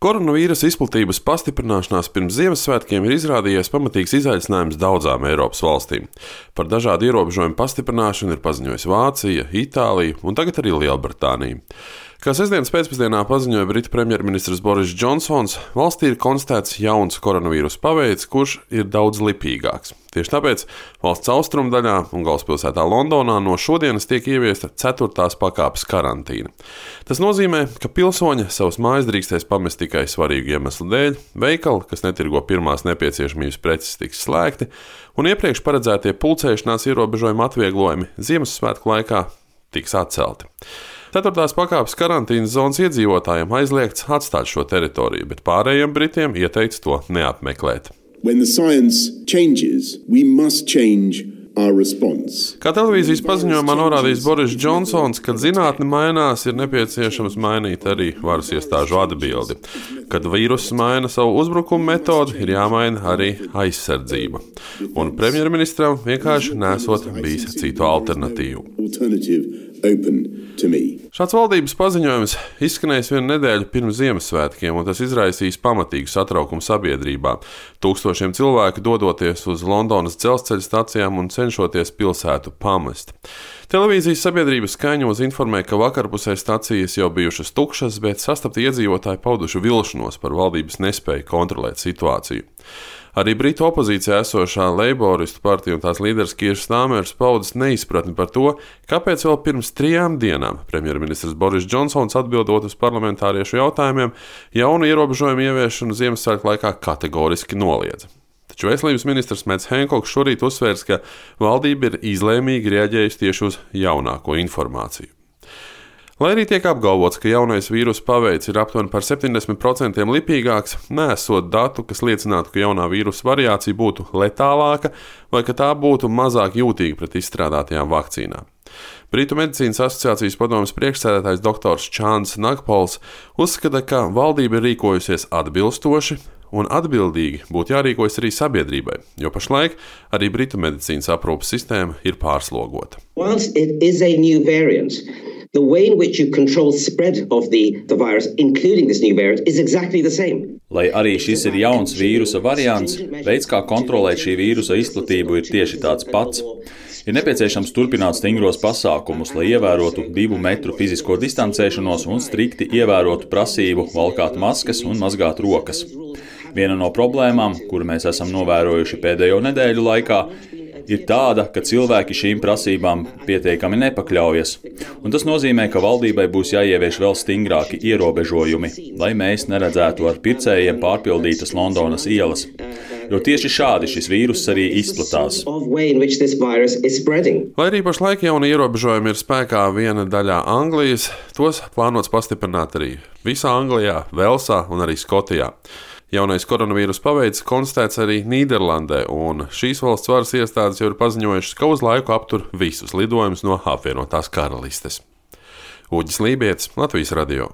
Koronavīrusa izplatības pastiprināšanās pirms Ziemassvētkiem ir izrādījies pamatīgs izaicinājums daudzām Eiropas valstīm. Par dažādu ierobežojumu pastiprināšanu ir paziņojusi Vācija, Itālija un tagad arī Lielbritānija. Kā sestdienas pēcpusdienā paziņoja Britu premjerministrs Boris Džonsons, valstī ir konstatēts jauns koronavīrusa paveids, kurš ir daudz lipīgāks. Tieši tāpēc valsts austrumdaļā un galvaspilsētā Londonā no šodienas tiek ieviesta 4. pakāpes karantīna. Tas nozīmē, ka pilsoņi savus mājas drīkstēs pamest tikai svarīgu iemeslu dēļ, veikali, kas netirgo pirmās nepieciešamības preces, tiks slēgti, un iepriekš paredzētie pulcēšanās ierobežojuma atvieglojumi Ziemassvētku laikā tiks atcelti. 4. pakāpes karantīnas zonas iedzīvotājiem aizliegts atstāt šo teritoriju, bet pārējiem britiem ieteikts to neapmeklēt. Kā televīzijas paziņojumā norādījis Boris Džonsons, kad zinātne mainās, ir nepieciešams mainīt arī varas iestāžu atbildi. Kad vīruss maina savu uzbrukumu metodi, ir jāmaina arī aizsardzība. Un premjerministram vienkārši nesot bijis citu alternatīvu. Šāds valdības paziņojums izskanējis vienu nedēļu pirms Ziemassvētkiem, un tas izraisīs pamatīgu satraukumu sabiedrībā. Tūkstošiem cilvēku dodoties uz Londonas dzelzceļa stacijām un cenšoties pilsētu pamest. Televīzijas sabiedrības skaņos informē, ka vakarpusē stacijas jau bijušas tukšas, bet sastapti iedzīvotāji pauduši vilšanos par valdības nespēju kontrolēt situāciju. Arī Britu opozīcijā esošā Leiboristu partija un tās līderis Keir Starmers paudis neizpratni par to, kāpēc vēl pirms 3 dienām premjerministrs Boris Džonsons atbildot uz parlamentāriešu jautājumiem jaunu ierobežojumu ieviešanu Ziemassvētku laikā kategoriski noliedza. Taču veselības ministrs Mets Henkoks šorīt uzsvērs, ka valdība ir izlēmīgi reaģējusi tieši uz jaunāko informāciju. Lai arī tiek apgalvots, ka jaunais vīrusa paveids ir aptuveni par 70% lipīgāks, neesot datu, kas liecinātu, ka jaunā vīrusa variācija būtu letālāka vai ka tā būtu mazāk jūtīga pret izstrādātajām vakcīnām. Britu medicīnas asociācijas padomes priekšsēdētājs dr. Čāns Nagpols uzskata, ka valdība ir rīkojusies atbilstoši un atbildīgi būtu jārīkojas arī sabiedrībai, jo pašlaik arī Britu medicīnas aprūpes sistēma ir pārslogota. The way in which you control spread of the virus, including this new variant, is exactly the same. Lai arī šis ir jauns vīrusa variants, veids, kā kontrolēt šī vīrusa izplatību, ir tieši tāds pats. Ir nepieciešams turpināt stingros pasākumus, lai ievērotu 2 metru fizisko distancēšanos un strikti ievērotu prasību valkāt maskas un mazgāt rokas. Viena no problēmām, kuru mēs esam novērojuši pēdējo nedēļu laikā, ir tāda, ka cilvēki šīm prasībām pietiekami nepakļaujas. Un tas nozīmē, ka valdībai būs jāievieš vēl stingrāki ierobežojumi, lai mēs neredzētu ar pircējiem pārpildītas Londonas ielas. Jo tieši šādi šis vīruss arī izplatās. Lai arī pašlaik jauni ierobežojumi ir spēkā viena daļā Anglijas, tos plānots pastiprināt arī visā Anglijā, Velsā un arī Skotijā. Jaunais koronavīrusa paveids konstatēts arī Nīderlandē, un šīs valsts varas iestādes jau ir paziņojušas, ka uz laiku aptur visus lidojumus no apvienotās karalistes. Uģis Lībietis, Latvijas radio.